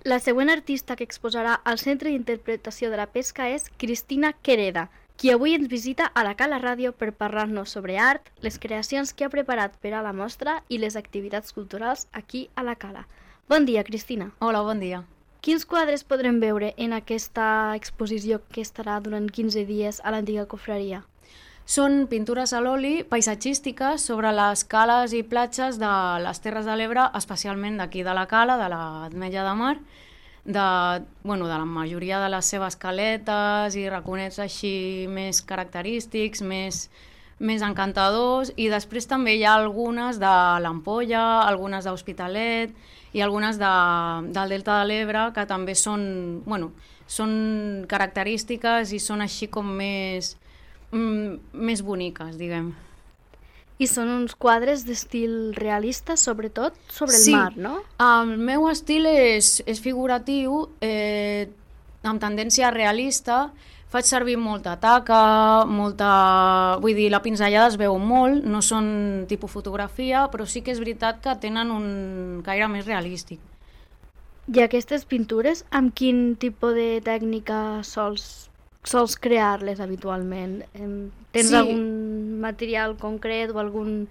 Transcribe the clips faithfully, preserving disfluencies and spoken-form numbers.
La següent artista que exposarà al Centre d'Interpretació de la Pesca és Cristina Quereda, qui avui ens visita a la Cala Ràdio per parlar-nos sobre art, les creacions que ha preparat per a la mostra i les activitats culturals aquí a la Cala. Bon dia, Cristina. Hola, bon dia. Quins quadres podrem veure en aquesta exposició que estarà durant quinze dies a l'antiga cofreria? Són pintures a l'oli paisatgístiques sobre les cales i platges de les Terres de l'Ebre, especialment d'aquí de la Cala, de l'Ametlla de Mar, de, bueno, de la majoria de les seves caletes i raconets així més característics, més, més encantadors, i després també hi ha algunes de l'Ampolla, algunes d'Hospitalet i algunes de, del Delta de l'Ebre que també són, bueno, són característiques i són així com més, mm, més boniques, diguem. I són uns quadres d'estil realista, sobretot sobre el Sí, mar, no? el meu estil és, és figuratiu, eh, amb tendència realista. Faig servir molta taca, molta... Vull dir, la pinzellada es veu molt, no són tipus fotografia, però sí que és veritat que tenen un caire més realístic. I aquestes pintures, amb quin tipus de tècnica sols, sols crear-les habitualment? Em- Tens Sí. algun material concret o algun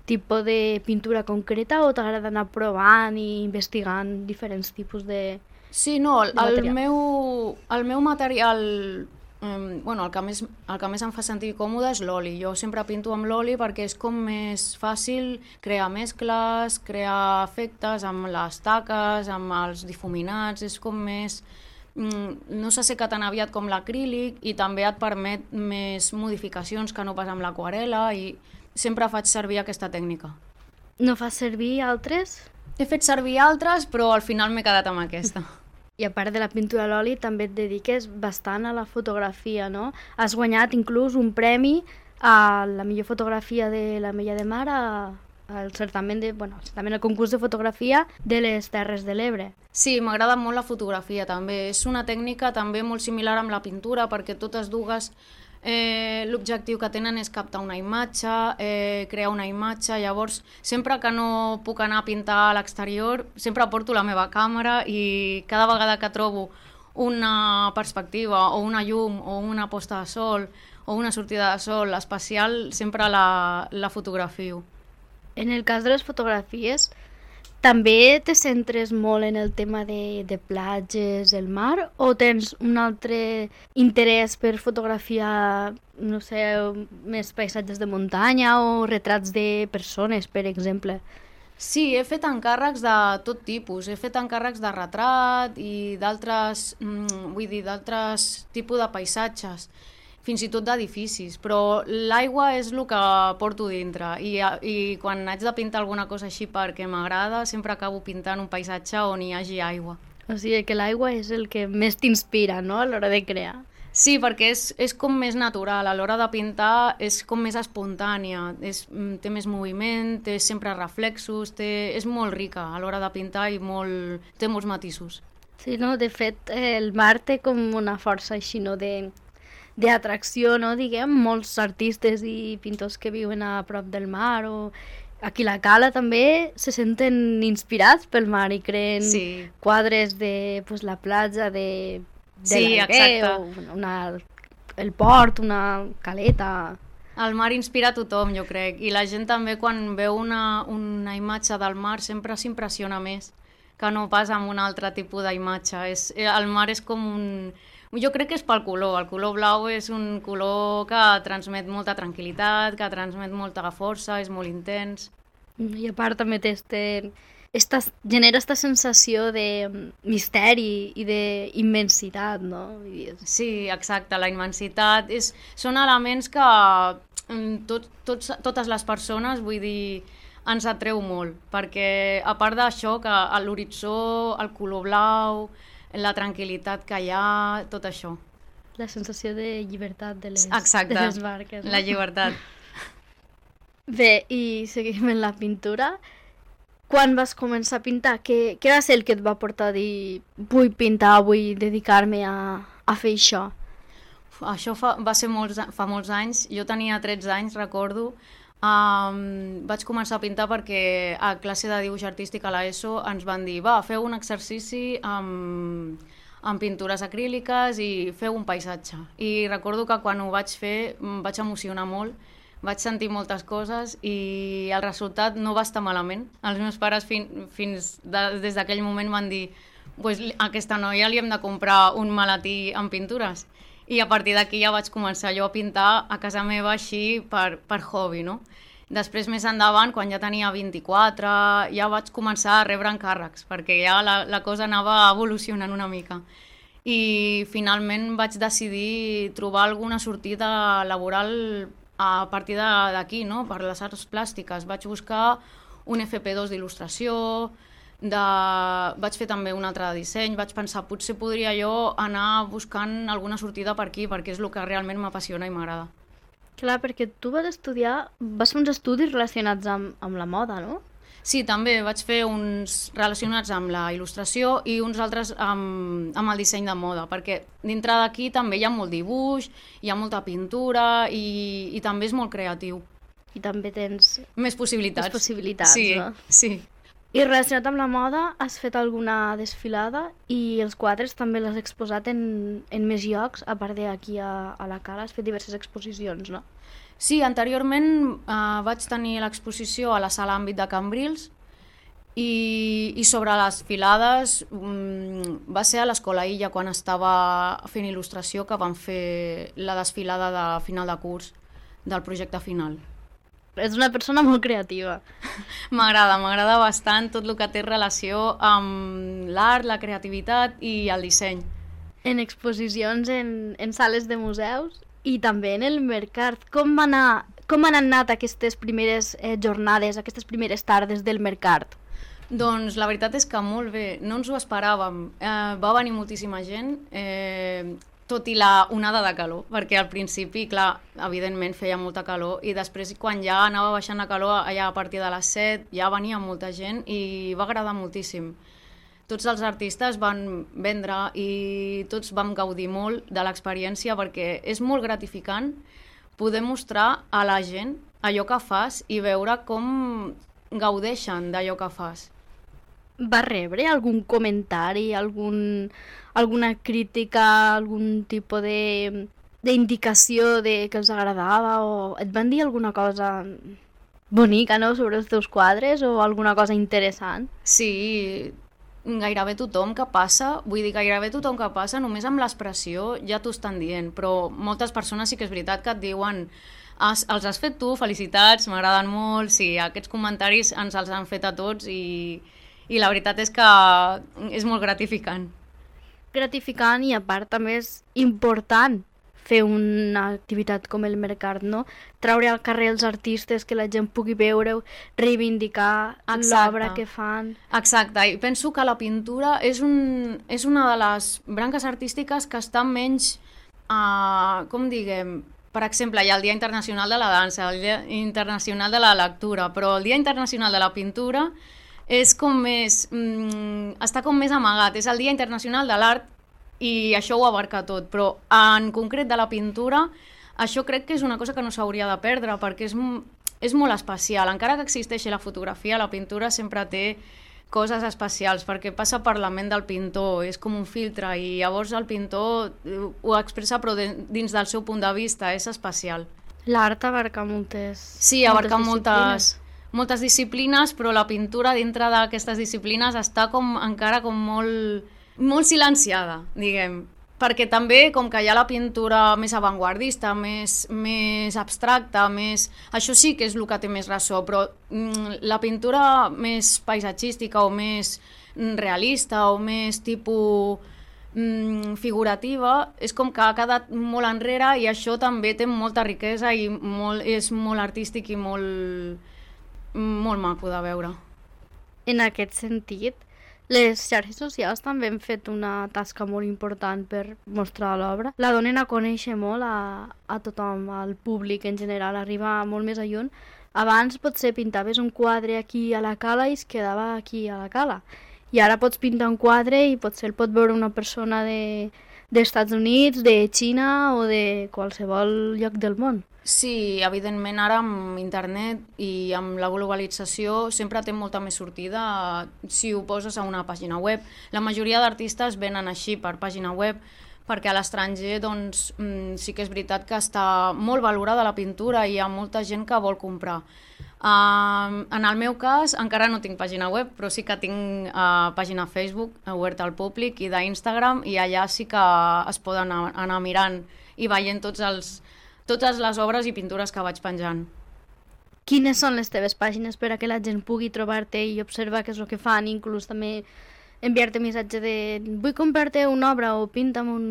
tipus de pintura concreta o t'agrada anar provant i investigant diferents tipus de... Sí, no, el, de el, material. meu, el meu material, eh, bueno, el que, més, el que més em fa sentir còmode és l'oli. Jo sempre pinto amb l'oli perquè és com més fàcil crear mescles, crear efectes amb les taques, amb els difuminats, és com més... mm, no s'asseca tan aviat com l'acrílic i també et permet més modificacions que no pas amb l'aquarela i sempre faig servir aquesta tècnica. No fas servir altres? He fet servir altres, però al final m'he quedat amb aquesta. I a part de la pintura a l'oli també et dediques bastant a la fotografia, no? Has guanyat inclús un premi a la millor fotografia de l'Ametlla de Mar a, al certamen de, bueno, al certamen, al concurs de fotografia de les Terres de l'Ebre. Sí, m'agrada molt la fotografia també. És una tècnica també molt similar amb la pintura perquè totes dues eh, l'objectiu que tenen és captar una imatge, eh, crear una imatge, llavors sempre que no puc anar a pintar a l'exterior sempre porto la meva càmera i cada vegada que trobo una perspectiva o una llum o una posta de sol o una sortida de sol especial sempre la, la fotografio. En el cas de les fotografies, també te centres molt en el tema de, de platges, el mar, o tens un altre interès per fotografiar, no sé, més paisatges de muntanya o retrats de persones, per exemple? Sí, he fet encàrrecs de tot tipus. He fet encàrrecs de retrat i d'altres, mm, vull dir, d'altres tipus de paisatges, fins i tot d'edificis, però l'aigua és el que porto dintre i, i quan haig de pintar alguna cosa així perquè m'agrada, sempre acabo pintant un paisatge on hi hagi aigua. O sigui que l'aigua és el que més t'inspira, no?, a l'hora de crear. Sí, perquè és, és com més natural, a l'hora de pintar és com més espontània, és, té més moviment, té sempre reflexos, té, és molt rica a l'hora de pintar i molt, té molts matisos. Sí, no? De fet, eh, el mar té com una força així, no?, de d'atracció, no?, diguem, molts artistes i pintors que viuen a prop del mar o aquí a la Cala també se senten inspirats pel mar i creen Sí. quadres de pues, la platja, de, de Sí, l'Alguer, exacte. o una, el port, una caleta... El mar inspira a tothom, jo crec, i la gent també quan veu una, una imatge del mar sempre s'impressiona més que no pas amb un altre tipus d'imatge. És, el mar és com un... Jo crec que és pel color, el color blau és un color que transmet molta tranquil·litat, que transmet molta força, és molt intens. I a part també té este, esta, genera aquesta sensació de misteri i d'immensitat, no? I és... Sí, exacte, la immensitat. És, són elements que mm, tot, tots, totes les persones, vull dir, ens atreu molt, perquè a part d'això, que a l'horitzó, el color blau, la tranquil·litat que hi ha, tot això. La sensació de llibertat de les, Exacte, de les barques. No? la llibertat. Bé, i seguim en la pintura. Quan vas començar a pintar? Què, què va ser el que et va portar a dir vull pintar, vull dedicar-me a, a fer això? Això fa, va ser molts, fa molts anys, jo tenia tretze anys, recordo, Um, vaig començar a pintar perquè a classe de dibuix artístic a l'ESO ens van dir, va, feu un exercici amb, amb pintures acríliques i feu un paisatge. I recordo que quan ho vaig fer em vaig emocionar molt, vaig sentir moltes coses i el resultat no va estar malament. Els meus pares fin, fins de, des d'aquell moment van dir, pues, a aquesta noia li hem de comprar un maletí amb pintures. I a partir d'aquí ja vaig començar jo a pintar a casa meva així per, per hobby, no? Després, més endavant, quan ja tenia vint-i-quatre, ja vaig començar a rebre encàrrecs, perquè ja la, la cosa anava evolucionant una mica. I finalment vaig decidir trobar alguna sortida laboral a partir d'aquí, no? Per les arts plàstiques. Vaig buscar un F P dos d'il·lustració, de... vaig fer també un altre de disseny, vaig pensar potser podria jo anar buscant alguna sortida per aquí, perquè és el que realment m'apassiona i m'agrada. Clar, perquè tu vas estudiar, vas fer uns estudis relacionats amb, amb la moda, no? Sí, també vaig fer uns relacionats amb la il·lustració i uns altres amb, amb el disseny de moda, perquè dintre d'aquí també hi ha molt dibuix, hi ha molta pintura i, i també és molt creatiu. I també tens... Més possibilitats. Més possibilitats, sí, no? Sí. I relacionat amb la moda, has fet alguna desfilada i els quadres també l'has exposat en, en més llocs, a part d'aquí a, a la Cala, has fet diverses exposicions, no? Sí, anteriorment eh, vaig tenir l'exposició a la sala àmbit de Cambrils i, i sobre les filades um, va ser a l'Escola Illa quan estava fent il·lustració que vam fer la desfilada de final de curs del projecte final. Ets una persona molt creativa. M'agrada, m'agrada bastant tot el que té relació amb l'art, la creativitat i el disseny. En exposicions en, en sales de museus i també en el mercat. Com, va anar, com han anat aquestes primeres eh, jornades, aquestes primeres tardes del mercat? Doncs la veritat és que molt bé, no ens ho esperàvem. Eh, va venir moltíssima gent, eh, tot i la onada de calor, perquè al principi, clar, evidentment feia molta calor i després quan ja anava baixant la calor, allà a partir de les set, ja venia molta gent i va agradar moltíssim. Tots els artistes van vendre i tots vam gaudir molt de l'experiència perquè és molt gratificant poder mostrar a la gent allò que fas i veure com gaudeixen d'allò que fas. Va rebre algun comentari, algun, alguna crítica, algun tipus de d'indicació de que els agradava o et van dir alguna cosa bonica, no?, sobre els teus quadres o alguna cosa interessant? Sí, gairebé tothom que passa, vull dir, gairebé tothom que passa, només amb l'expressió ja t'ho estan dient, però moltes persones sí que és veritat que et diuen has, els has fet tu, felicitats, m'agraden molt, sí, aquests comentaris ens els han fet a tots i, i la veritat és que és molt gratificant. Gratificant i a part també és important fer una activitat com el mercat, no? Traure al carrer els artistes, que la gent pugui veure, reivindicar l'obra que fan. Exacte, i penso que la pintura és, un, és una de les branques artístiques que està menys, uh, com diguem, per exemple, hi ha el Dia Internacional de la Dansa, el Dia Internacional de la Lectura, però el Dia Internacional de la Pintura és com més, mm, està com més amagat, és el Dia Internacional de l'Art i això ho abarca tot, però en concret de la pintura, això crec que és una cosa que no s'hauria de perdre perquè és, és molt especial, encara que existeixi la fotografia, la pintura sempre té coses especials perquè passa per la ment del pintor, és com un filtre i llavors el pintor ho expressa però dins del seu punt de vista, és especial. L'art abarca moltes Sí, abarca moltes, moltes disciplines, però la pintura dintre d'aquestes disciplines està com encara com molt, molt silenciada, diguem, perquè també com que hi ha la pintura més avantguardista, més, més abstracta, més... això sí que és el que té més ressò, però mm, la pintura més paisatgística o més realista o més tipus mm, figurativa és com que ha quedat molt enrere i això també té molta riquesa i molt, és molt artístic i molt, molt maco de veure. En aquest sentit, les xarxes socials també han fet una tasca molt important per mostrar l'obra. La donen a conèixer molt a, a tothom, al públic en general, arriba molt més a lluny. Abans potser pintaves un quadre aquí a la Cala i es quedava aquí a la Cala. I ara pots pintar un quadre i potser el pot veure una persona de, d'Estats Units, de Xina o de qualsevol lloc del món. Sí, evidentment ara amb internet i amb la globalització sempre té molta més sortida si ho poses a una pàgina web. La majoria d'artistes venen així per pàgina web perquè a l'estranger doncs, sí que és veritat que està molt valorada la pintura i hi ha molta gent que vol comprar. Uh, en el meu cas encara no tinc pàgina web, però sí que tinc uh, pàgina Facebook oberta al públic i d'Instagram, i allà sí que es poden anar, anar mirant i veient tots els totes les obres i pintures que vaig penjant. Quines són les teves pàgines per a que la gent pugui trobar-te i observar què és el que fan, inclús també enviar-te missatge de vull comprar-te una obra o pinta'm un,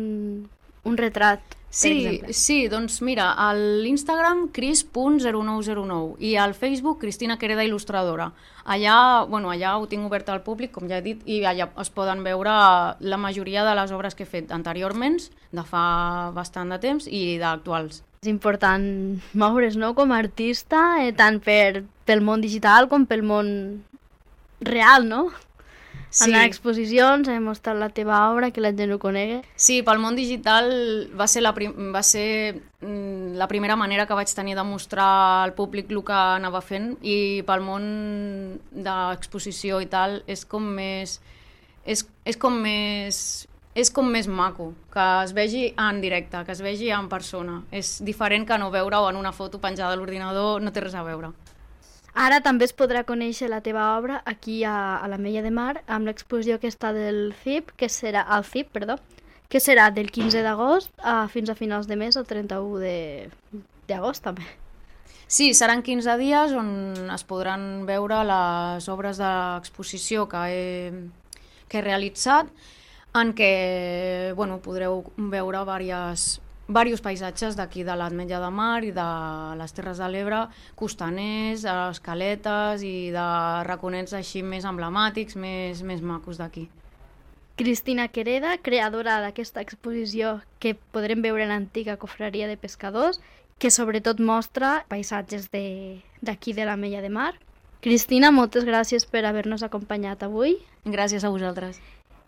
un retrat, per sí, exemple? Sí, doncs mira, a l'Instagram cris punt zero nou zero nou i al Facebook Cristina Quereda Il·lustradora. Allà, bueno, allà ho tinc obert al públic, com ja he dit, i allà es poden veure la majoria de les obres que he fet anteriorment, de fa bastant de temps, i d'actuals. És important moure's, no?, com a artista, eh, tant per, pel món digital com pel món real, no? Sí. Anar a exposicions, a mostrar la teva obra, que la gent ho conegui. Sí, pel món digital va ser, la, prim va ser mm, la primera manera que vaig tenir de mostrar al públic el que anava fent, i pel món d'exposició i tal és com més... És, és com més... és com més maco, que es vegi en directe, que es vegi en persona. És diferent que no veure-ho en una foto penjada a l'ordinador, no té res a veure. Ara també es podrà conèixer la teva obra aquí a, a l'Ametlla de Mar amb l'exposició que està del C I P, que serà al C I P, perdó, que serà del quinze d'agost a, fins a finals de mes, el trenta-u d'agost també. Sí, seran quinze dies on es podran veure les obres de l'exposició que he, que he realitzat, en què bueno, podreu veure diversos, diversos paisatges d'aquí de l'Ametlla de Mar i de les Terres de l'Ebre, costaners, escaletes i de raconets així més emblemàtics, més, més macos d'aquí. Cristina Quereda, creadora d'aquesta exposició que podrem veure en l'antiga cofreria de pescadors, que sobretot mostra paisatges d'aquí de, de l'Ametlla de Mar. Cristina, moltes gràcies per haver-nos acompanyat avui. Gràcies a vosaltres.